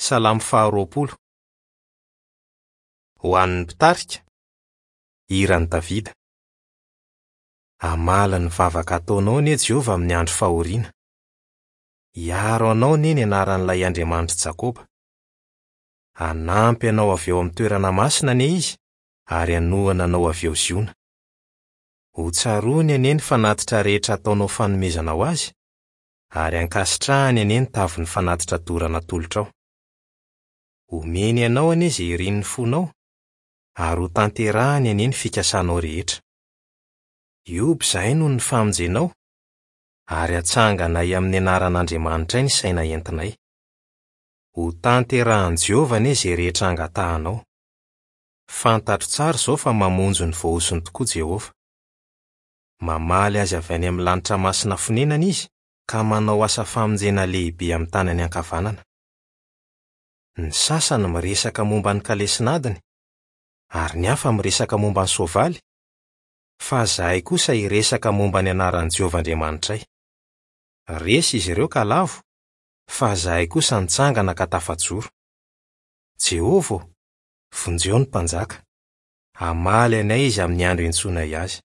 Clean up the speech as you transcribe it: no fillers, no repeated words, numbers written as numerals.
Salamo faharoapolo. Ho an'ny mpitarika, hiran'i Davida. Hamaly ny vavaka ataonao anie Jehovah amin'ny andro fahoriana. Hiaro anao anie ny anaran'ilay Andriamanitr'i Jakoba. Hanampy anao avy eo amin'ny toerana masina anie izy ary hanohana anao avy eo Ziona. Hotsaroany anie ny fanatitra rehetra ataonao fanomezana ho azy, ary hankasitrahany anie ny tavin'ny fanatitra dorana atolotrao. Homeny anao anie izay irin'ny fonao, ary hotanterahany anie ny fikasanao rehetra. Hioby izahay noho ny famonjenao, ary hatsanganay amin'ny anaran'Andriamanitray ny saina entinay. Hotanterahin'i Jehovah anie izay rehetra angatahanao. Fantatro tsara izao fa mamonjy ny voahosony tokoa Jehovah. Mamaly azy avy any amin'ny lanitra masina fonenany izy ka manao asa famonjena lehibe amin'ny tanany ankavanana. Ny sasany miresaka momba ny kalesin'adiny, ary ny hafa miresaka momba ny soavaly, fa izahay kosa hiresaka momba ny anaran'i Jehovah Andriamanitray. Resy izy ireo ka lavo, fa izahay kosa nitsangana ka tafajoro. Jehovah ô, vonjeo ny mpanjaka. Hamaly anay izy amin'ny andro iantsoanay azy.